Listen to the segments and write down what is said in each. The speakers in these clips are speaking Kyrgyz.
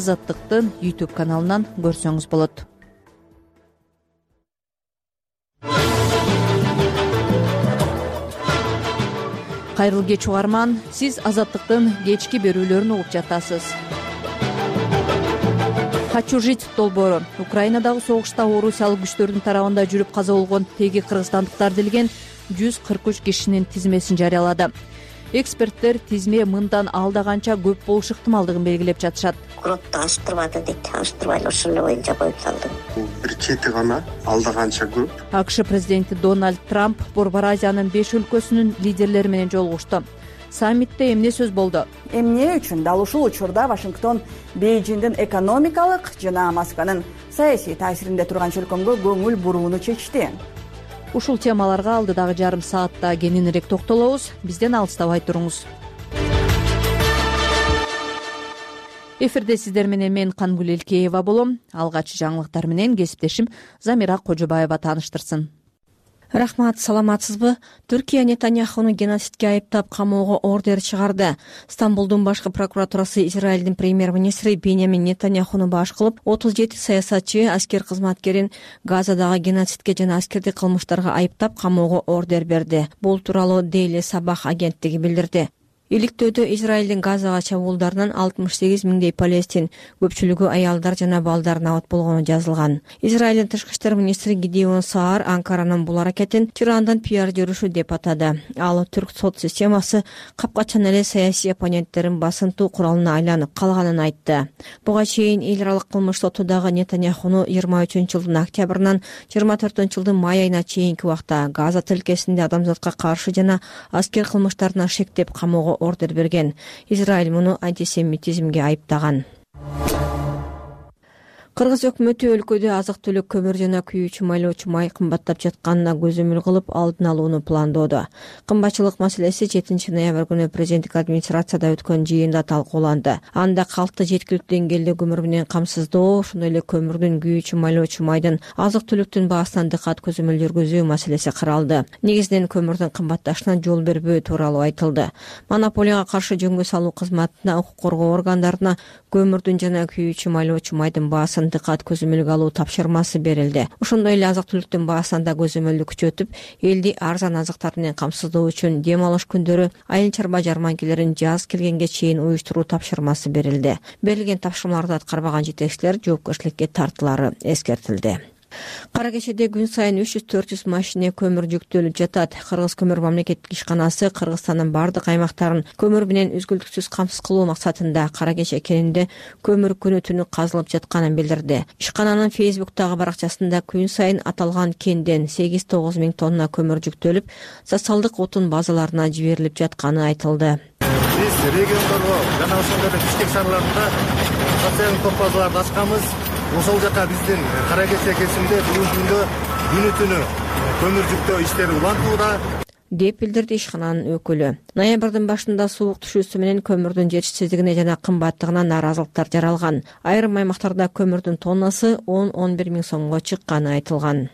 Азаттыктын YouTube каналынан көрсөңүз болот. Кайрылуу кеч угарман, сиз Азаттыктын кечки берүүлөрүн угуп жатасыз. Хочу жить долбоору Украинадагы согушта орусиялык күчтөрдүн тарабында жүрүп каза болгон теги кыргызстандыктар делген 143 кишинин тизмесин жарыялады. Эксперттер тизме мындан алда канча көп болушу ыктымалдыгын белгилеп жатышат. Куротто аштырбады дейт, аштырбай эле ошол эле боюнча коюп салды. Бул бир чети гана, алда канча көп. АКШ президенти Дональд Трамп Борбор Азиянын 5 өлкөсүнүн лидерлери менен жолугушту. Саммитте эмне сөз болду? Эмне үчүн дал ушул учурда Вашингтон Бейжиңдин экономикалык жана Москванын саясий таасиринде турган чөлкөмгө көңүл бурууну чечти. Ушул темаларга алдыдагы жарым саатта кененирээк токтолобуз. Бизден алыстабай туруңуз. Эфирде сиздер менен мен Кангүл Элкеева болом. Алгач жаңылыктар менен кесиптешим Замира Кожобаева тааныштырсын. Рахмат, саламатсызбы? Түркия Нетаньяхуну геноцидке айыптап камоого ордер чыгарды. Стамбулдун башкы прокуратурасы Израилдин премьер-министри Беньямин Нетаньяхуну баш кылып, 37 саясатчы аскер кызматкерин Газадагы геноцидке жана аскердик кылмыштарга айыптап камоого ордер берди. Бул тууралуу Daily Sabah агенттиги билдирди. Иликтөөдө Израилдин Газага чабуулдарынан 68 миңдей палестин, көпчүлүгү аялдар жана балдар набат болгону жазылган. Израилдин тышкы иштер министри Гидеон Саар Анкаранын бул аракетин Тирандын пиар жүрүшү деп атады. Ал түрк сот системасы капкачан эле саясий оппоненттерин басынтуу куралына айланып калганын айтты. Буга чейин эл аралык кылмыш сотудагы Нетаньяхуну 23-жылдын октябрынан 24-жылдын май айына чейинки убакта Газа тилкесинде адамзатка каршы жана аскер кылмыштарына шектеп камоого ордер берген. Израиль муну антисемитизмге айыптаган. Кыргыз өкмөтү өлкөдө азык-түлүк, көмүр жана күйүүчү майлоочу май кымбаттап жатканына көзөмөл кылып алдын алууну пландоодо. Кымбатчылык маселеси 7 ноябрь күнү президенттик администрацияда өткөн жыйында талкууланды. Анда калкты жеткиликтүү деңгээлде көмүр менен камсыздоо, ошондой эле көмүрдүн, күйүүчү майлоочу майдын, азык-түлүктүн баасынан дыкат көзөмөл жүргүзүү маселеси каралды. Негизинен көмүрдүн кымбатташына жол бербөө тууралуу айтылды. Монополияга каршы жөнгө салуу кызматына, укук коргоо органдарына көмүрдүн жана күйүүчү майлоочу майдын баасын дыкат көзөмөлгө алуу тапшырмасы берилди. Ошондой эле азык-түлүктүн баасынан да көзөмөлдү күчөтүп, элди арзан азыктар менен камсыздоо үчүн дем алыш күндөрү айыл чарба жарманкелерин жаз келгенге чейин уюштуруу тапшырмасы берилди. Берилген тапшырмаларды аткарбаган жетекчилер жоопкерчиликке тартылары эскертилди. Кара кечеде күн сайын 300-400 машина көмүр жүктөлүп жатат. Кыргыз көмүр мамлекеттик ишканасы Кыргызстандын бардык аймактарын көмүр менен үзгүлтүксүз камсыз кылуу максатында Кара кече кенинде көмүр күнү-түнү казылып жатканын билдирди. Ишкананын Facebook'тагы баракчасында күн сайын аталган кенден 8-9 миң тонна көмүр жүктөлүп, социалдык отун базаларына жиберилип жатканы айтылды. Биз региондорго жана ошондой эле Бишкек шаарларында социалдык топ базаларды ачканбыз. Ошол жака биздин Кара кече кесимде бүгүнкү күндө күнү-түнү көмүр жүктөө иштери улантууда деп билдирди ишкананын өкүлү. Ноябрдын башында суук түшүүсү менен көмүрдүн жетишсиздигине жана кымбаттыгына нааразылыктар жаралган. Айрым аймактарда көмүрдүн тоннасы 10-11 миң сомго чыкканы айтылган.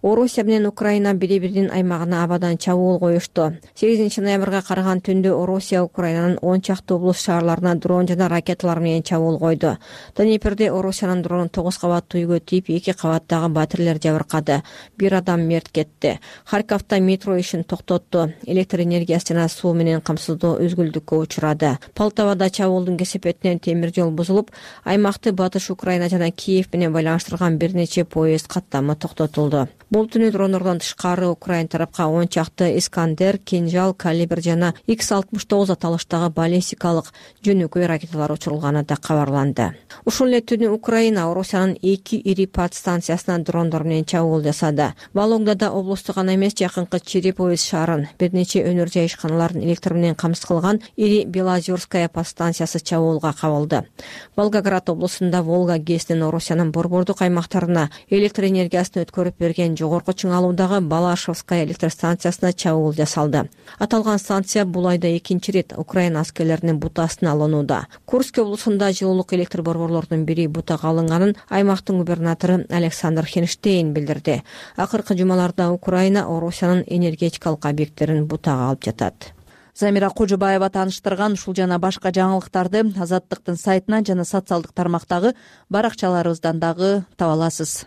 Орусия менен Украина бири-биринин аймагына абадан чабуул коюшту. 8 ноябрга караган түндө Орусия Украинанын 10 чакты облус шаарларына дрон жана ракеталар менен чабуул койду. Днеперде Орусиянын дрону 9 кабаттуу үйгө тийип, 2 кабаттагы батирелер жабыркады. 1 адам мерт кетти. Харьковдо метро ишин токтотту. Электр энергиясы жана суу менен камсыздоо үзгүлтүккө учурады. Полтавада чабуулдун кесепетинен темир жол бузулуп, аймакты Батыш Украина жана Киев менен байланыштырган бир нече поезд каттамы токтотулду. Бул түнү дрондордон тышкары Украина тарапка 10 чакты Искандер, Кинжал, Калибр жана X-69 аталыштагы баллистикалык жөнөкөй ракеталар учурулганы да кабарланды. Ушул эле түнү Украина Орусиянын 2 ири подстанциясына дрондор менен чабуул жасады. Вологдада облусту гана эмес, жакынкы Череповец шаарын, бир нече өнөр жай ишканаларын электр менен камсыз кылган ири Белозерская подстанциясы чабуулга кабылды. Волгоград облусунда Волга ГЭСинин Орусиянын борбордук аймактарына электр энергиясын өткөрүп берген жогорку чыңалуудагы Балашевская электр станциясына чабуул жасалды. Аталган станция бул айда 2-чи рет Украина аскерлеринин бутасына алынууда. Курск облусунда жылуулук электр борборлорунун бири бутага алынганын аймактын губернатору Александр Хенштейн билдирди. Акыркы жумаларда Украина Орусиянын энергетикалык объекттерин бутага алып жатат. Замира Кожобаева тааныштырган ушул жана башка жаңылыктарды Азаттыктын сайтынан жана социалдык тармактагы баракчаларыбыздан дагы таба аласыз.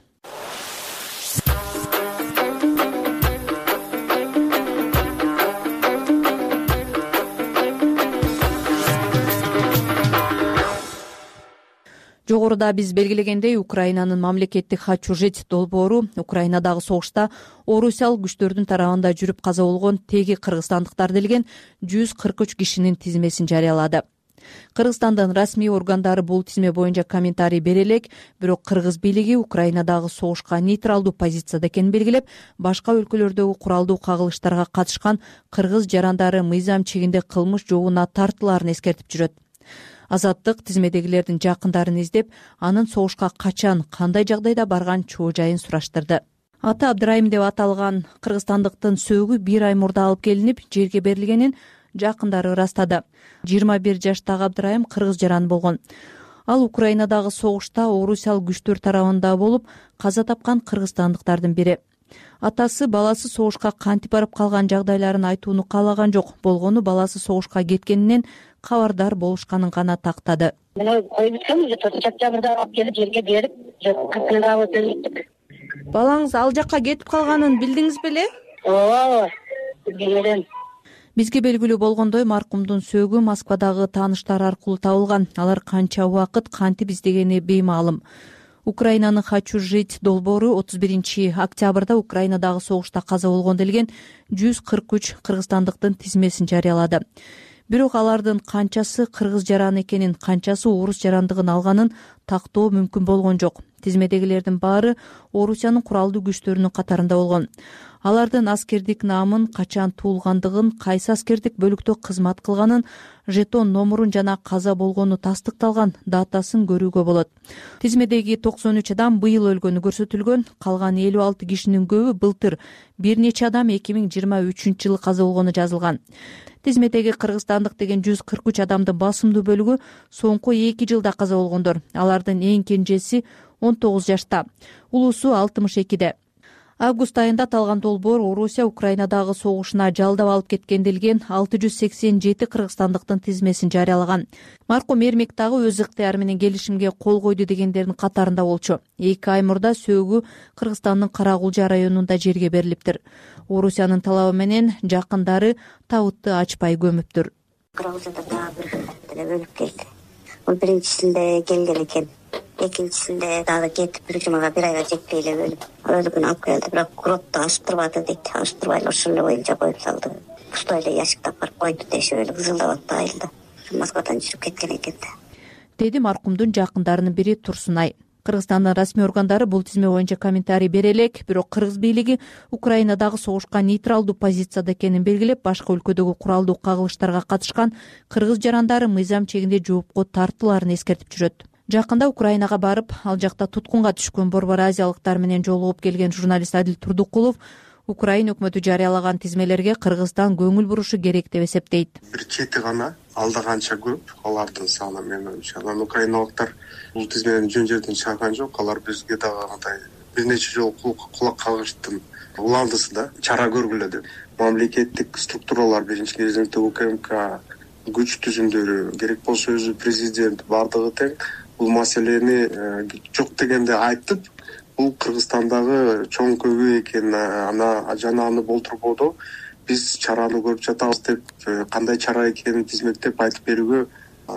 Жогоруда биз белгилегендей, Украинанын мамлекеттик хатчужит долбоору Украинадагы согушта орусиялык күчтөрдүн тарабында жүрүп каза болгон теги кыргызстандыктар делген 143 кишинин тизмесин жарыялады. Кыргызстандын расмий органдары бул тизме боюнча комментарий бере элек, бирок кыргыз бийлиги Украинадагы согушка нейтралдуу позицияда экенин белгилеп, башка өлкөлөрдөгү куралдуу кагылыштарга катышкан кыргыз жарандары мыйзам чегинде кылмыш жообуна тартылаарын эскертип жүрөт. Азаттык тизмедегилердин жакындарын издеп, анын согушка качан, кандай жагдайда барган чоо жайын сураштырды. Аты Абдырайым деп аталган кыргызстандыктын сөөгү 1 ай мурда алып келинип, жерге берилгенин жакындары ырастады. 21 жаштагы Абдырайым кыргыз жаран болгон. Ал Украинадагы согушта орусиялык күчтөр тарабында болуп, каза тапкан кыргызстандыктардын бири. Атасы баласы согушка кантип барып калган жагдайларын айтууну каалаган жок, болгону баласы согушка кеткенинен кабардар болушканын гана тактады. Мына коюп өткөн уже чапчабырда алып келип жерге берип, кыйнап өтүп. Балаңыз ал жакка кетип калганын билдиңиз беле? Ооба, билген. Бизге белгилүү болгондой, маркумдун сөөгү Москвадагы тааныштар аркылуу табылган. Алар канча убакыт кантип издегени беймаалым. Украинанын хатчужит долбоору 31 октябрда Украинадагы согушта каза болгон делген 143 кыргызстандыктын тизмесин жарыялады. Бирок алардын канчасы кыргыз жараны экенин, канчасы орус жарандыгын алганын тактоо мүмкүн болгон жок. Тизмедегилердин баары Орусиянын куралдуу күчтөрүнүн катарында болгон. Алардын аскердик наамын, качан туулгандыгын, кайсы аскердик бөлүктө кызмат кылганын, жетон номурун жана каза болгону тастыкталган датасын көрүүгө болот. Тизмедеги 93 адам быйыл өлгөнү көрсөтүлгөн, калган 56 кишинин көбү былтыр, бир нече адам 2023-жылы каза болгону жазылган. Тизмедеги кыргызстандык деген 143 адамдын басымдуу бөлүгү соңку 2 жылда каза болгондор. Алардын эң кенжеси 19 жашта, улуусу 62-де. Август айында аталган долбоор Орусия Украинадагы согушуна жалдап алып кеткен делген 687 кыргызстандыктын тизмесин жарыялаган. Маркум Эрмек дагы өз ыктыяры менен келишимге кол койду дегендердин катарында болчу. 2 ай мурда сөөгү Кыргызстандын Карагулжа районунда жерге берилиптир. Орусиянын талабы менен жакындары табытты ачпай көмүптүр. Карагулжада дагы бир бөлүп келди. Ол биринчисинде келген экен. Экинчисинде дагы кетип бир жумага, бир айга жетпей эле өлүп. Өлүгүн алып келди, бирок куротто ашып турбады дейт. Ашып турбай эле ошол боюнча коюп салды. Пустой эле ящиктап барып койду дешип эле кызылдап атты айылда. Москвадан жүрүп кеткен экен да. Деди маркумдун жакындарынын бири Турсунай. Кыргызстандын расмий органдары бул тизме боюнча комментарий бере элек, бирок кыргыз бийлиги Украинадагы согушка нейтралдуу позицияда экенин белгилеп, башка өлкөдөгү куралдуу кагылыштарга катышкан кыргыз жарандары мыйзам чегинде жоопко тартылаарын эскертип жүрөт. Жакында Украинага барып, ал жакта туткунга түшкөн борбор азиялыктар менен жолугуп келген журналист Адил Турдукулов Украина өкмөтү жарыялаган тизмелерге Кыргызстан көңүл бурушу керек деп эсептейт. Бир чети гана, алда канча көп, алардын саны менин оюмча. Анан украиналыктар бул тизмени жөн жерден чыгарган жок. Алар бизге дагы мындай бир нече жолу кулак кагыштын уландысы да, чара көргүлө деп. Мамлекеттик структуралар, биринчи кезекте УКМК күч түзүмдөрү, керек болсо өзү президент бардыгы тең бул маселени жок дегенде айтып, бул Кыргызстандагы чоң көбү экен, жана аны болтурбоду биз чараны көрүп жатабыз деп, кандай чара экенин тизмектеп айтып берүүгө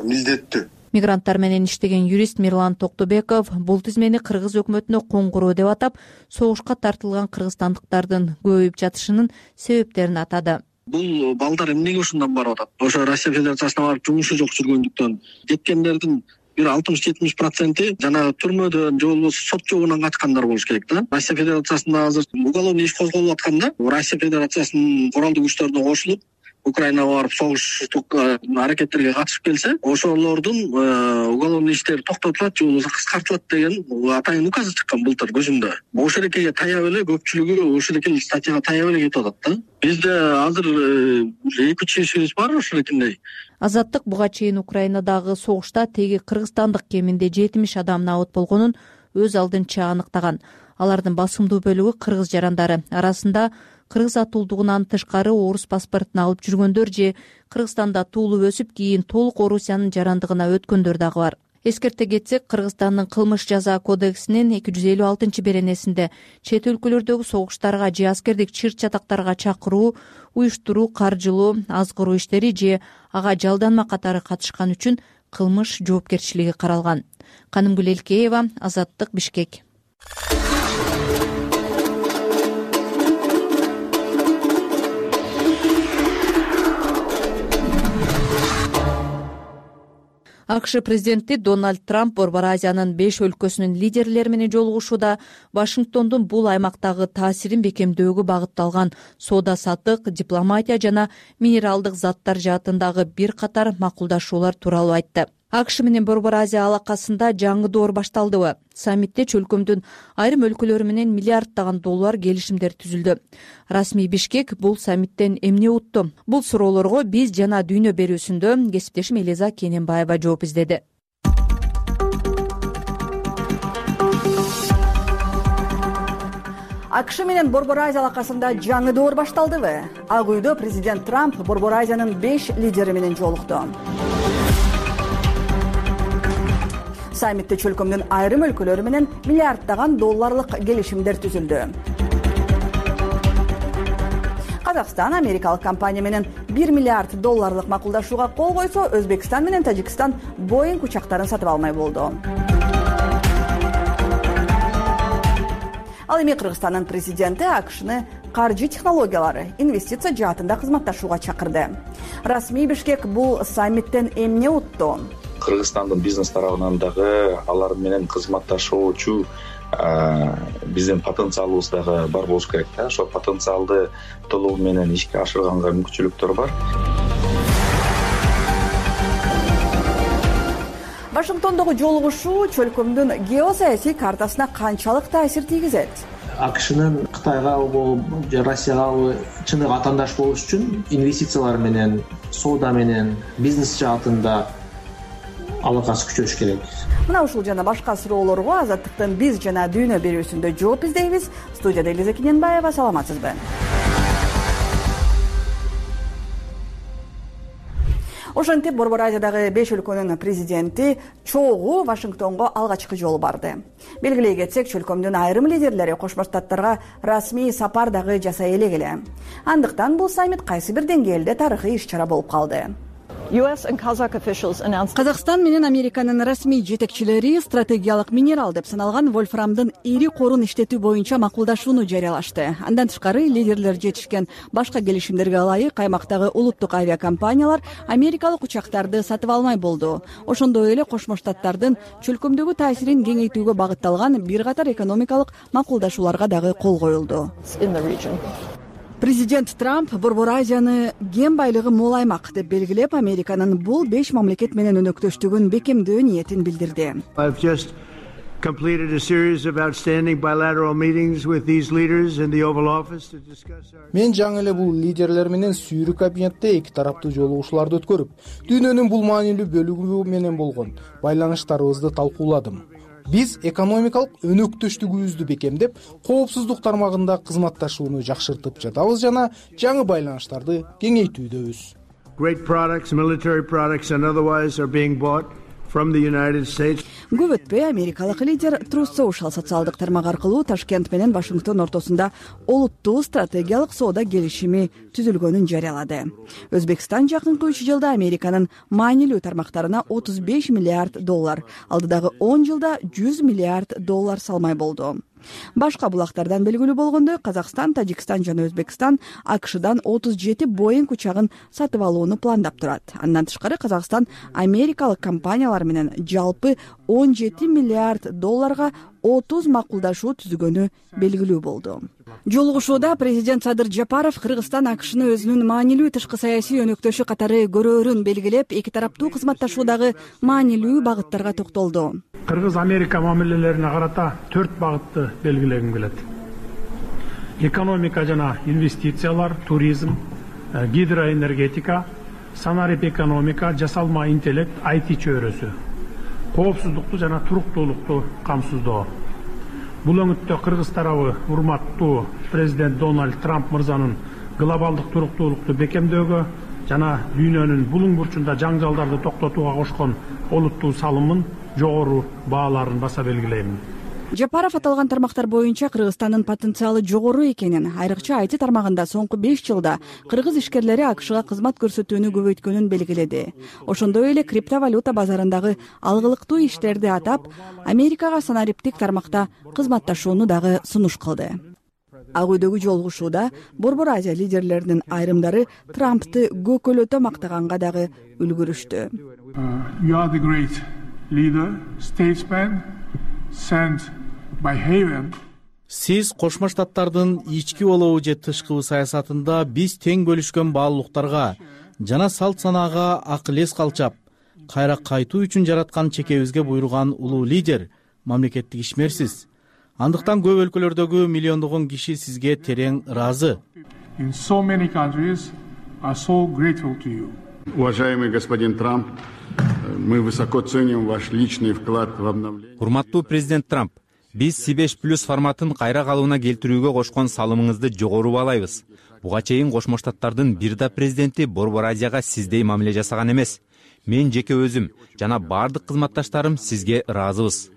милдеттүү. Мигранттар менен иштеген юрист Мирлан Токтобеков бул тизмени кыргыз өкмөтүнө коңгуроо деп атап, согушка тартылган кыргызстандыктардын көбөйүп жатышынын себептерин атады. Бул балдар эмнеге ушундан барып атат? Ошо Россия Федерациясына барып жумушу жок жүргөндүктөн кеткендердин бир 60-70% жанагы түрмөдөн же болбосо сот жообунан качкандар болуш керек да. Россия Федерациясында азыр уголовный иш козголуп атканда, Россия Федерациясынын куралдуу күчтөрүнө кошулуп Украинага барып согуштук аракеттерге катышып келсе, ошолордун уголовный иштери токтотулат же болбосо кыскартылат деген атайын указ чыккан былтыр көзүмдө. Ошол экеге таяп эле көпчүлүгү ошол эки статьяга таяп эле кетип атат да. Бизде азыр 2-3 ишибиз бар ошол экендей. Азаттык буга чейин Украинадагы согушта теги кыргызстандык кеминде 70 адам набыт болгонун, өз алдынча аныктаган. Алардын басымдуу бөлүгү кыргыз жарандары. Арасында кыргыз атуулдугунан тышкары орус паспортун алып жүргөндөр же Кыргызстанда туулуп өсүп, кийин толук Орусиянын жарандыгына өткөндөр дагы бар. Эскерте кетсек, Кыргызстандын кылмыш жаза кодексинин 256-беренесинде чет өлкөлөрдөгү согуштарга же аскердик чыр-чатактарга чакыруу, уюштуруу, каржылоо, азгыруу иштери же ага жалданма катары катышкан үчүн кылмыш жоопкерчилиги каралган. Канымгүл Элкеева, Азаттык, Бишкек. АКШ президенти Дональд Трамп Борбор Азиянын 5 өлкөсүнүн лидерлери менен жолугушууда Вашингтондун бул аймактагы таасирин бекемдөөгө багытталган соода-саттык, дипломатия жана минералдык заттар жаатындагы бир катар макулдашуулар тууралуу айтты. АКШ менен Борбор Азия алакасында жаңы доор башталдыбы? Саммитте чөлкөмдүн айрым өлкөлөрү менен миллиарддаган доллар келишимдер түзүлдү. Расмий Бишкек бул саммиттен эмне утту? Бул суроолорго биз жана дүйнө берүүсүндө кесиптешим Элиза Кененбаева жооп издеди. АКШ менен Борбор Азия алакасында жаңы доор башталдыбы? Ак үйдө президент Трамп Борбор Азиянын 5 лидери менен жолукту. Саммитте чөлкөмдүн айрым өлкөлөрү менен миллиарддаган долларлык келишимдер түзүлдү. Казакстан америкалык компания менен 1 миллиард долларлык макулдашууга кол койсо, Өзбекстан менен Тажикстан Боинг учактарын сатып алмай болду. Ал эми Кыргызстандын президенти АКШны каржы технологиялары, инвестиция жаатында кызматташууга чакырды. Расмий Бишкек бул саммиттен эмне утту? Кыргызстандын бизнес тарабынан дагы алар менен кызматташуучу биздин потенциалыбыз дагы бар болуш керек да. Ошол потенциалды толугу менен ишке ашырганга мүмкүнчүлүктөр бар. Вашингтондогу жолугушуу чөлкөмдүн геосаясий картасына канчалык таасир тийгизет? АКШнын Кытайга же Россияга чыныгы атаандаш болуш үчүн инвестициялар менен, соода менен, бизнес жаатында алакасы күчөш керек. Мына ушул жана башка суроолорго Азаттыктын биз жана дүйнө берүүсүндө жооп издейбиз. Студияда Элиза Кененбаева, саламатсызбы? Ошентип Борбор Азиядагы 5 өлкөнүн президенти чогуу Вашингтонго алгачкы жолу барды. Белгилей кетсек, чөлкөмдүн айрым лидерлери Кошмо Штаттарга расмий сапар дагы жасай элек. Андыктан бул саммит кайсы бир деңгээлде тарыхый иш-чара болуп калды. Казакстан менен Американын расмий жетекчилери стратегиялык минерал деп саналган вольфрамдын ири корун иштетүү боюнча макулдашууну жарыялашты. Андан тышкары лидерлер жетишкен башка келишимдерге ылайык аймактагы улуттук авиакомпаниялар америкалык учактарды сатып алмай болду. Ошондой эле Кошмо Штаттардын чөлкөмдөгү таасирин кеңейтүүгө багытталган бир катар экономикалык макулдашууларга дагы кол коюлду. Президент Трамп Борбор Азияны кен байлыгы мол аймак деп белгилеп, Американын бул 5 мамлекет менен өнөктөштүгүн бекемдөө ниетин билдирди. Мен жаңы эле бул лидерлер менен Сүйрү кабинетте эки тараптуу жолугушууларды өткөрүп, дүйнөнүн бул маанилүү бөлүгү менен болгон байланыштарыбызды талкууладым. Биз экономикалык өнөктөштүгүбүздү бекемдеп, коопсуздук тармагында кызматташууну жакшыртып жатабыз жана жаңы байланыштарды кеңейтүүдөбүз. Көп өтпөй америкалык лидер Truth Social социалдык тармак аркылуу Ташкент менен Вашингтон ортосунда олуттуу стратегиялык соода келишими түзүлгөнүн жарыялады. Өзбекстан жакынкы 3 жылда Американын маанилүү тармактарына 35 миллиард доллар, алдыдагы 10 жылда 100 миллиард доллар салмай болду. Башка булактардан белгилүү болгондой, Казакстан, Тажикстан жана Өзбекстан АКШдан 37 Боинг учагын сатып алууну пландап турат. Андан тышкары Казакстан америкалык компаниялар менен жалпы 17 миллиард долларга 30 макулдашуу түзгөнү белгилүү болду. Жолугушууда президент Садыр Жапаров Кыргызстан АКШны өзүнүн маанилүү тышкы саясий өнөктөшү катары көрөөрүн белгилеп, эки тараптуу кызматташуудагы маанилүү багыттарга токтолду. Кыргыз-Америка мамилелерине карата 4 багытты белгилегим келет. Экономика жана инвестициялар, туризм, гидроэнергетика, санарип экономика, жасалма интеллект, IT чөйрөсү. коопсуздукту жана туруктуулукту камсыздоо. Бул өңүттө кыргыз тарабы урматтуу президент Дональд Трамп мырзанын глобалдык туруктуулукту бекемдөөгө жана дүйнөнүн булуң бурчунда жаңжалдарды токтотууга кошкон олуттуу салымын жогору бааларын баса белгилейм. Жапаров аталган тармактар боюнча Кыргызстандын потенциалы жогору экенин, айрыкча IT тармагында соңку 5 жылда кыргыз ишкерлери АКШга кызмат көрсөтүүнү көбөйткөнүн белгиледи. Ошондой эле криптовалюта базарындагы алгылыктуу иштерди атап, Америкага санариптик тармакта кызматташууну дагы сунуш кылды. Ак үйдөгү жолугушууда Борбор Азия лидерлеринин айрымдары Трампты көкөлөтө мактаганга дагы үлгүрүштү. You are the great leader, statesman, sent by Haven. Сиз Кошмо Штаттардын ички болобу же тышкы саясатында биз тең бөлүшкөн баалуулуктарга жана салт санаага акыл-эс калчап, кайра кайтуу үчүн жараткан чекебизге буйруган улуу лидер, мамлекеттик ишмерсиз. Андыктан көп өлкөлөрдөгү миллиондогон киши сизге терең ыраазы. In so many countries are so grateful to you. Уважаемый господин Трамп, мы высоко ценим ваш личный вклад в обновление. Урматтуу президент Трамп, биз C5+ форматын кайра калыбына келтирүүгө кошкон салымыңызды жогору баалайбыз. Буга чейин Кошмо Штаттардын бир да президенти Борбор Азияга сиздей мамиле жасаган эмес. Мен жеке өзүм жана бардык кызматташтарым сизге ыраазыбыз.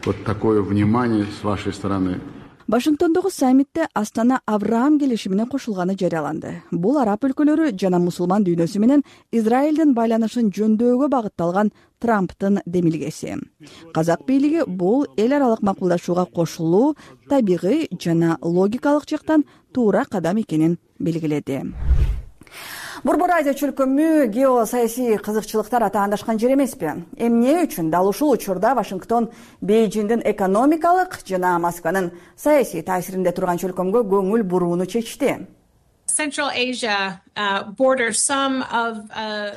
Вот такое внимание с вашей стороны. Вашингтондогу саммитте Астана Авраам келишимине кошулганы жарыяланды. Бул араб өлкөлөрү жана мусулман дүйнөсү менен Израилдин байланышын жөндөөгө багытталган Трамптын демилгеси. Казак бийлиги бул эл аралык макулдашууга кошулуу табигый жана логикалык жактан туура кадам экенин белгиледи. Борбор Азия чөлкөмү геосаясий кызыкчылыктар атаандашкан жер эмеспи? Эмне үчүн дал ушул учурда Вашингтон Бейжиңдин экономикалык жана Москванын саясий таасиринде турган чөлкөмгө көңүл бурууну чечти?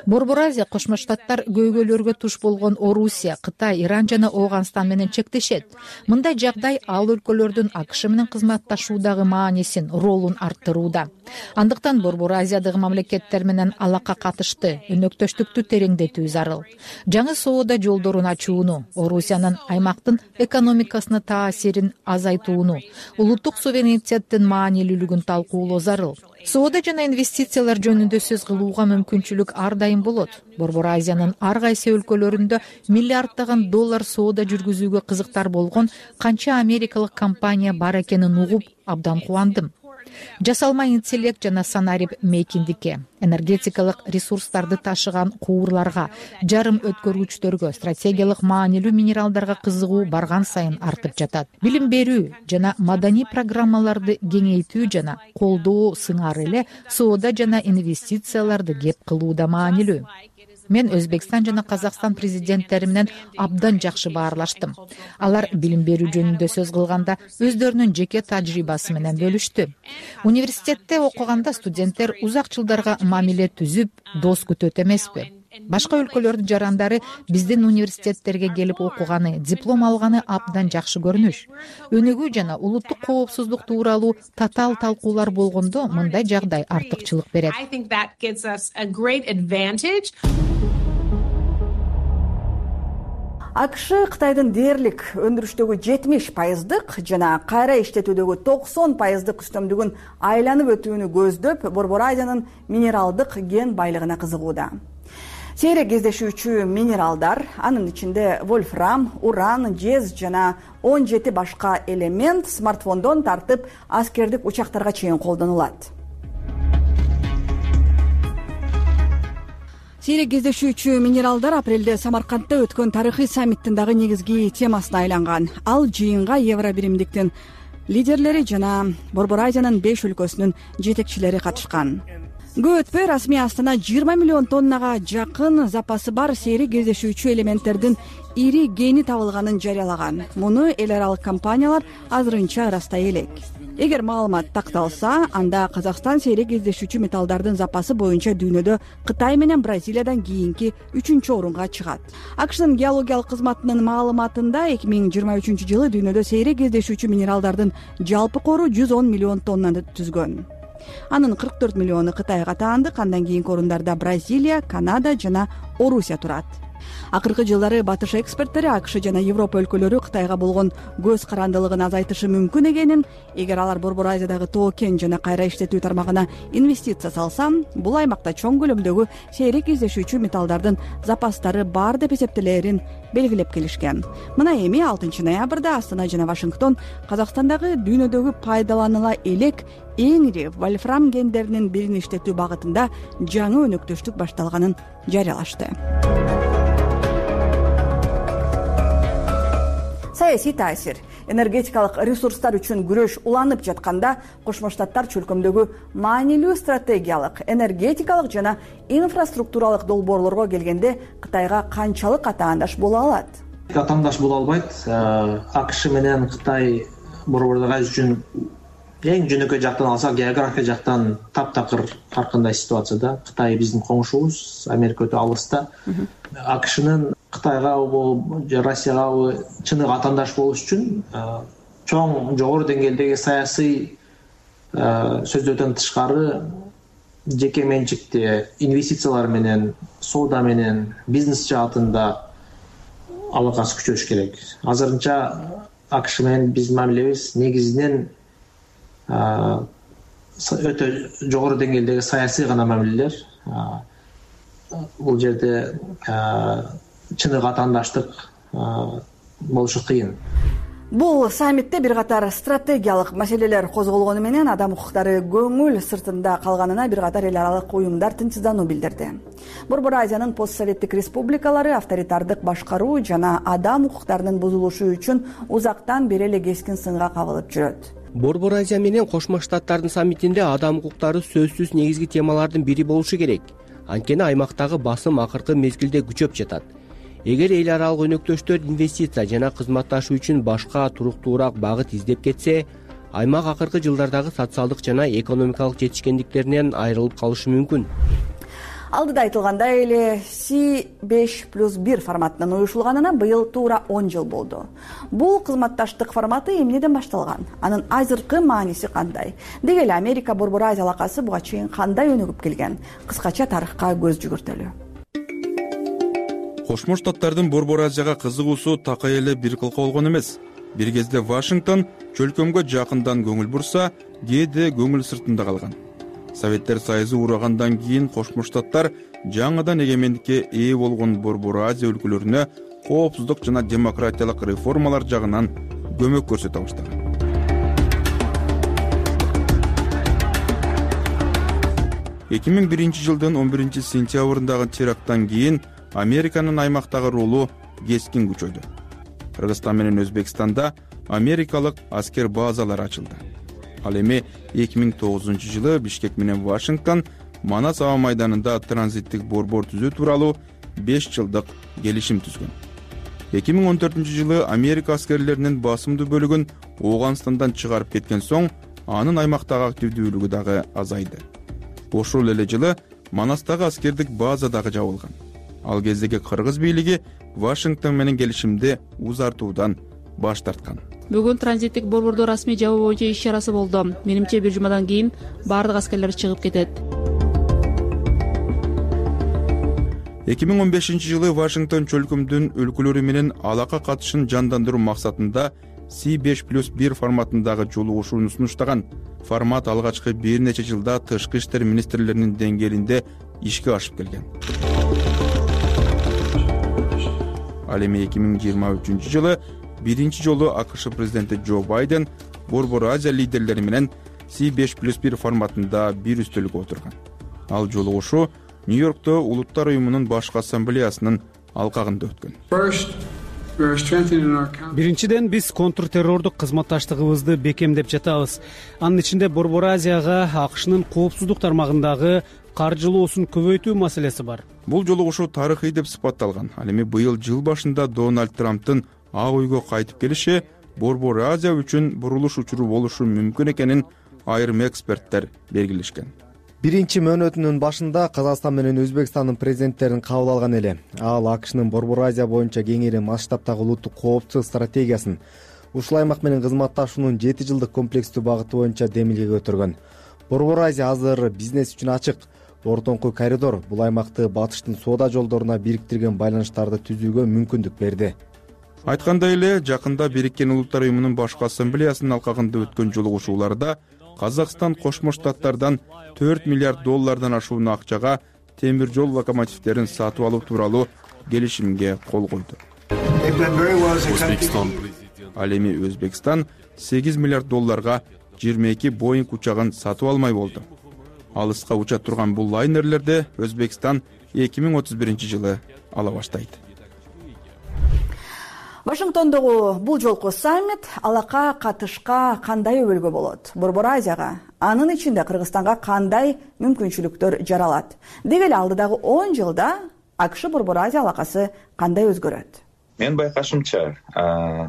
Борбор Азия Кошмо Штаттар көйгөйлөргө туш болгон Орусия, Кытай, Иран жана Ооганстан менен чектешет. Мындай жагдай ал өлкөлөрдүн АКШ менен кызматташуудагы маанисин, ролун арттырууда. Андыктан Борбор Азиядагы мамлекеттер менен алака катышты, өнөктөштүктү тереңдетүү зарыл. Жаңы соода жолдорун ачууну, Орусиянын аймактын экономикасына таасирин азайтууну, улуттук суверенитеттин маанилүүлүгүн талкуулоо зарыл. Соода жана инвестициялар жөнүндө сөз кылууга мүмкүнчүлүк ар дайым болот. Борбор Азиянын ар кайсы өлкөлөрүндө миллиарддаган доллар соода жүргүзүүгө кызыктар болгон канча америкалык компания бар экенин угуп абдан кубандым. Жасалма интеллект жана санарип мейкиндикке, энергетикалык ресурстарды ташыган куурларга, жарым өткөргүчтөргө, стратегиялык маанилүү минералдарга кызыгуу барган сайын артып жатат. Билим берүү жана маданий программаларды кеңейтүү жана колдоо сыңары эле соода жана инвестицияларды кеп кылууда маанилүү. Мен Өзбекстан жана Казакстан президенттери менен абдан жакшы баарлаштым. Алар билим берүү жөнүндө сөз кылганда өздөрүнүн жеке тажрыйбасы менен бөлүштү. Университетте окуганда студенттер узак жылдарга мамиле түзүп, дос күтөт эмеспи? Башка өлкөлөрдүн жарандары биздин университеттерге келип окуганы, диплом алганы абдан жакшы көрүнүш. Өнүгүү жана улуттук коопсуздук тууралуу татаал талкуулар болгондо мындай жагдай артыкчылык берет. АКШ Кытайдын дээрлик өндүрүштөгү 70% жана кайра иштетүүдөгү 90% үстөмдүгүн айланып өтүүнү көздөп, Борбор Азиянын минералдык кен байлыгына кызыгууда. Сейрек кездешүүчү минералдар, анын ичинде вольфрам, уран, жез жана 17 башка элемент смартфондон тартып аскердик учактарга чейин колдонулат. Сейрек кездешүүчү минералдар апрелде Самаркандда өткөн тарыхый саммиттин дагы негизги темасына айланган. Ал жыйынга Евробиримдиктин лидерлери жана Борбор Азиянын 5 өлкөсүнүн жетекчилери катышкан. Көп өтпөй расмий Астана 20 миллион тоннага жакын запасы бар сейрек кездешүүчү элементтердин ири кени табылганын жарыялаган. Муну эл аралык компаниялар азырынча ырастай элек. Эгер маалымат такталса, анда Казакстан сейрек кездешүүчү металлдардын запасы боюнча дүйнөдө Кытай менен Бразилиядан кийинки 3-орунга чыгат. АКШнын геологиялык кызматынын маалыматында 2023-жылы дүйнөдө сейрек кездешүүчү минералдардын жалпы кору 110 миллион тоннаны түзгөн. Анын 44 миллиону Кытайга таандык, андан кийинки орундарда Бразилия, Канада жана Орусия турат. Акыркы жылдары батыш эксперттери АКШ жана Европа өлкөлөрү Кытайга болгон көз карандылыгын азайтышы мүмкүн экенин, эгер алар Борбор Азиядагы тоо-кен жана кайра иштетүү тармагына инвестиция салса, бул аймакта чоң көлөмдөгү сейрек издешүүчү металлдардын запастары бар деп эсептелээрин белгилеп келишкен. Мына эми 6 ноябрда Астана жана Вашингтон Казакстандагы дүйнөдөгү пайдаланыла элек эң ири вольфрам кендеринин бирин иштетүү багытында жаңы өнөктөштүк башталганын жарыялашты. Саясий таасир. Энергетикалык ресурстар үчүн күрөш уланып жатканда Кошмо Штаттар чөлкөмдөгү маанилүү стратегиялык, энергетикалык жана инфраструктуралык долбоорлорго келгенде Кытайга канчалык атаандаш боло алат? Атаандаш боло албайт. АКШ менен Кытай борбордук Азия үчүн эң жөнөкөй жактан алсак, география жактан таптакыр ар кандай ситуацияда. Кытай биздин коңшубуз, Америка өтө алыста. АКШнын Кытайга же Россияга чыныгы атаандаш болуш үчүн чоң жогору деңгээлдеги саясий сөздөрдөн тышкары жеке менчикти инвестициялар менен, соода менен, бизнес жаатында алакасы күчөш керек. Азырынча АКШ менен биздин мамилебиз негизинен өтө жогору деңгээлдеги саясий гана мамилелер. Бул жерде чыныгы атаандаштык болушу кыйын. Бул саммитте бир катар стратегиялык маселелер козголгону менен адам укуктары көңүл сыртында калганына бир катар эл аралык уюмдар тынчсыздануу билдирди. Борбор Азиянын постсоветтик республикалары авторитардык башкаруу жана адам укуктарынын бузулушу үчүн узактан бери эле кескин сынга кабылып жүрөт. Борбор Азия менен Кошмо Штаттардын саммитинде адам укуктары сөзсүз негизги темалардын бири болушу керек. Анткени аймактагы басым акыркы мезгилде күчөп жатат. Эгер эл аралык өнөктөштөр инвестиция жана кызматташуу үчүн башка туруктуураак багыт издеп кетсе, аймак акыркы жылдардагы социалдык жана экономикалык жетишкендиктеринен айрылып калышы мүмкүн. Алдыда айтылгандай эле C5+1 форматынын уюшулганына быйыл туура 10 жыл болду. Бул кызматташтык форматы эмнеден башталган? Анын азыркы мааниси кандай? Деги эле Америка Борбор Азия алакасы буга чейин кандай өнүгүп келген? Кыскача тарыхка көз жүгүртөлү. Кошмо Штаттардын Борбор Азияга кызыгуусу такай эле бир кылка болгон эмес. Бир кезде Вашингтон чөлкөмгө жакындан көңүл бурса, кээде көңүл сыртында калган. Советтер Союзу урагандан кийин Кошмо Штаттар жаңыдан эгемендикке ээ болгон Борбор Азия өлкөлөрүнө коопсуздук жана демократиялык реформалар жагынан көмөк көрсөтө баштаган. 2001 жылдын 11 сентябрындагы теракттан кийин Американын аймактагы ролу кескин күчөдү. Кыргызстан менен Өзбекстанда америкалык аскер базалары ачылды. Ал эми 2009 жылы Бишкек менен Вашингтон Манас аба майданында транзиттик борбор түзүү тууралуу 5 жылдык келишим түзгөн. 2014 жылы Америка аскерлеринин басымдуу бөлүгүн Ооганстандан чыгарып кеткен соң, анын аймактагы активдүүлүгү дагы азайды. Ошол эле жылы Манастагы аскердик база дагы жабылган. Ал кездеги кыргыз бийлиги Вашингтон менен келишимди узартуудан баш тарткан. Бүгүн транзиттик борборду расмий жабуу боюнча иш чарасы болду. Менимче бир жумадан кийин бардык аскерлер чыгып кетет. 2015 жылы Вашингтон чөлкөмдүн өлкөлөрү менен алака катышын жандандыруу максатында C5+1 форматындагы жолугушууну сунуштаган. Формат алгачкы бир нече жылда тышкы иштер министрлеринин деңгээлинде ишке ашып келген. Ал эми 2023 жылы биринчи жолу АКШ президенти Джо Байден Борбор Азия лидерлери менен C5+1 форматында бир үстөлгө отурган. Ал жолугушуу Нью-Йоркто Улуттар уюмунун башкы ассамблеясынын алкагында өткөн. Биринчиден биз контртеррордук кызматташтыгыбызды бекемдеп жатабыз. Анын ичинде Борбор Азияга АКШнын коопсуздук тармагындагы каржылоосун көбөйтүү маселеси бар. Бул жолугушуу тарыхый деп сыпатталган. Ал эми быйыл жыл башында Дональд Трамптын Ак үйгө кайтып келиши Борбор Азия үчүн бурулуш учуру болушу мүмкүн экенин айрым эксперттер белгилешкен. Биринчи мөөнөтүнүн башында Казакстан менен Өзбекстандын президенттерин кабыл алган эле. Ал АКШнын Борбор Азия боюнча кеңири масштабтагы улуттук коопсуздук стратегиясын, ушул аймак менен кызматташуунун 7 жылдык комплекстүү багыты боюнча демилге көтөргөн. Борбор Азия азыр бизнес үчүн ачык. ортоңку коридор бул аймакты батыштын соода жолдоруна бириктирген байланыштарды түзүүгө мүмкүндүк берди. Айткандай эле, жакында Бириккен Улуттар уюмунун башкы ассамблеясынын алкагында өткөн жолугушууларда Казакстан Кошмо Штаттардан $4 миллиард ашуун акчага темир жол локомотивдерин сатып алуу тууралуу келишимге кол койду. Ал эми Өзбекстан $8 миллиард 22 Боинг учагын сатып алмай болду. Алыска уча турган бул лайнерлерди Өзбекстан 2031-жылы ала баштайт. Вашингтондогу бул жолку саммит алакка катышка кандай өбөлгө болот? Борбор Азияга, анын ичинде Кыргызстанга кандай мүмкүнчүлүктөр жаралат? Деги эле алдыдагы 10 жылда АКШ Борбор Азия алакасы кандай өзгөрөт? Менин байкашымча,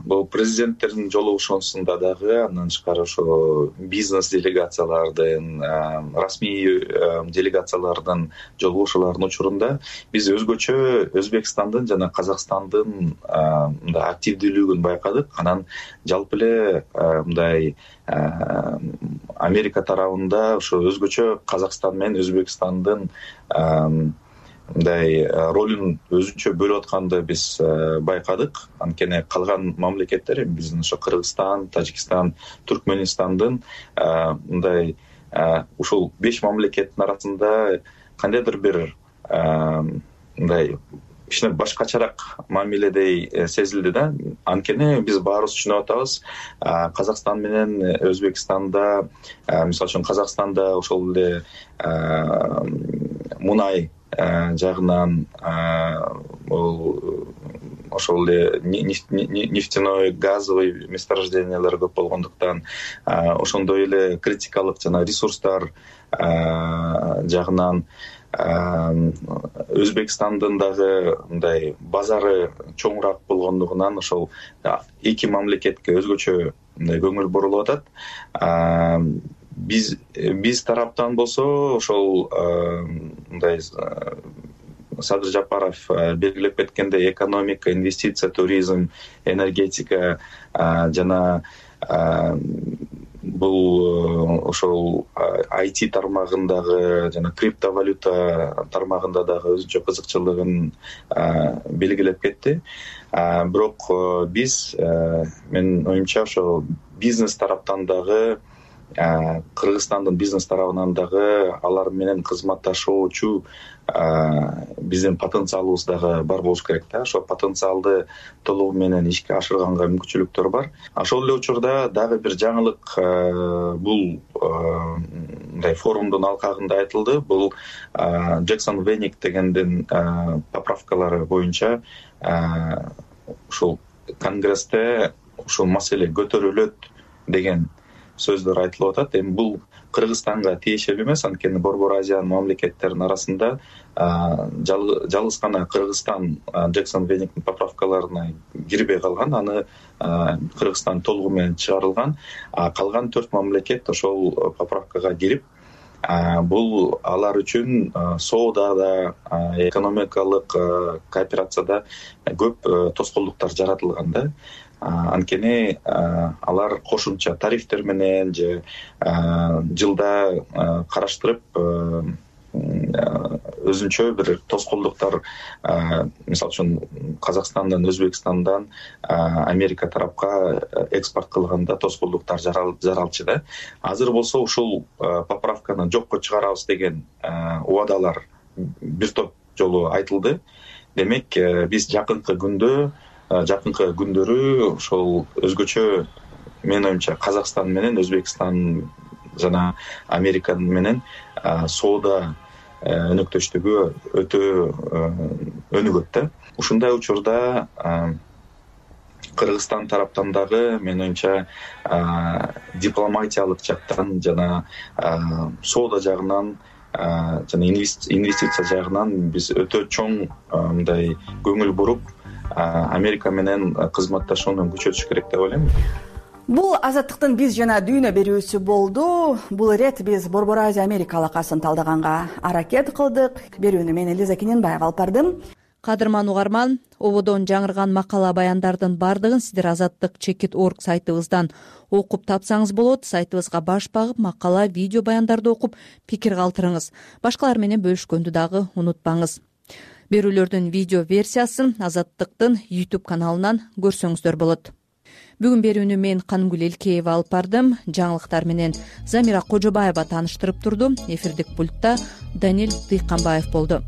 бул президенттердин жолугушуусунда дагы андан тышкары ошо бизнес делегациялардын, расмий делегациялардын жолугушууларынын учурунда биз өзгөчө Өзбекстандын жана Казакстандын активдүүлүгүн байкадык. Анан жалпы эле мындай Америка тарабында ошо өзгөчө Казакстан менен Өзбекстандын мындай ролун өзүнчө бөлүп атканды биз байкадык. Анткени калган мамлекеттер, биздин ошо Кыргызстан, Тажикстан, Түркмөнстандын мындай ушул 5 мамлекеттин арасында кандайдыр бир мындай кичине башкачараак мамиледей сезилди да. Анткени биз баарыбыз түшүнүп атабыз, Казакстан менен Өзбекстанда, мисалы үчүн Казакстанда ошол эле мунай жагынан ошол эле нефтяной, газовый месторождениялар көп болгондуктан, ошондой эле критикалык жана ресурстар жагынан Өзбекстандын дагы мындай базары чоңураак болгондугунан ошол эки мамлекетке өзгөчө мындай көңүл бурулуп атат. Биз тараптан болсо ошол мындай Садыр Жапаров белгилеп кеткендей экономика, инвестиция, туризм, энергетика жана бул ошол IT тармагындагы жана криптовалюта тармагында дагы өзүнчө кызыкчылыгын белгилеп кетти. Бирок биз, менин оюмча, ошо бизнес тараптан дагы, Кыргызстандын бизнес тарабынан дагы алар менен кызматташуучу биздин потенциалыбыз дагы бар болуш керек да. Ошо потенциалды толугу менен ишке ашырганга мүмкүнчүлүктөр бар. Ошол эле учурда дагы бир жаңылык бул мындай форумдун алкагында айтылды. Бул Джексон Веник дегендин поправкалары боюнча ушул Конгрессте ушул маселе көтөрүлөт деген сөздөр айтылып атат. Эми бул Кыргызстанга тиешелүү эмес, анткени Борбор Азиянын мамлекеттеринин арасында жалгыз гана Кыргызстан Джексон Вениктин поправкаларына кирбей калган, аны Кыргызстан толугу менен чыгарылган. Калган 4 мамлекет ошол поправкага кирип, бул алар үчүн соодада, экономикалык кооперацияда көп тоскоолдуктар жаратылган да. Анткени алар кошумча тарифтер менен же жылда караштырып өзүнчө бир тоскоолдуктар, мисалы үчүн Казакстандан, Өзбекстандан Америка тарапка экспорт кылганда тоскоолдуктар жаралчу да. Азыр болсо ушул поправканы жокко чыгарабыз деген убадалар бир топ жолу айтылды. Демек, биз жакынкы күндөрү ошол өзгөчө, менин оюмча, Казакстан менен Өзбекстан жана Америка менен соода өнөктөштүгү өтө өнүгөт да. Ушундай учурда Кыргызстан тараптан дагы, менин оюмча, дипломатиялык жактан жана соода жагынан жана инвестиция жагынан биз өтө чоң мындай көңүл буруп Америка менен кызматташууну күчөтүш керек деп ойлойм. Бул Азаттыктын биз жана дүйнө берүүсү болду. Бул ирет биз Борбор Азия Америка алакасын талдаганга аракет кылдык. Берүүнү мен Элиза Кененбаева алып бардым. кадырман угарман, ободон жаңырган макала баяндардын баардыгын сиздер Azadlyk.org сайтыбыздан окуп тапсаңыз болот. Сайтыбызга баш багып, макала, видео баяндарды окуп, пикир калтырыңыз. Башкалар менен бөлүшкөндү дагы унутпаңыз. Берүүлөрдүн видео версиясын Азаттыктын YouTube каналынан көрсөңүздөр болот. Бүгүн берүүнү мен Канымгүл Элкеева алып бардым. Жаңылыктар менен Замира Кожобаева тааныштырып турду. Эфирдик пультта Данил Дыйканбаев болду.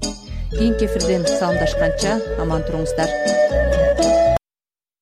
Кийинки эфирден саламдашканча аман туруңуздар.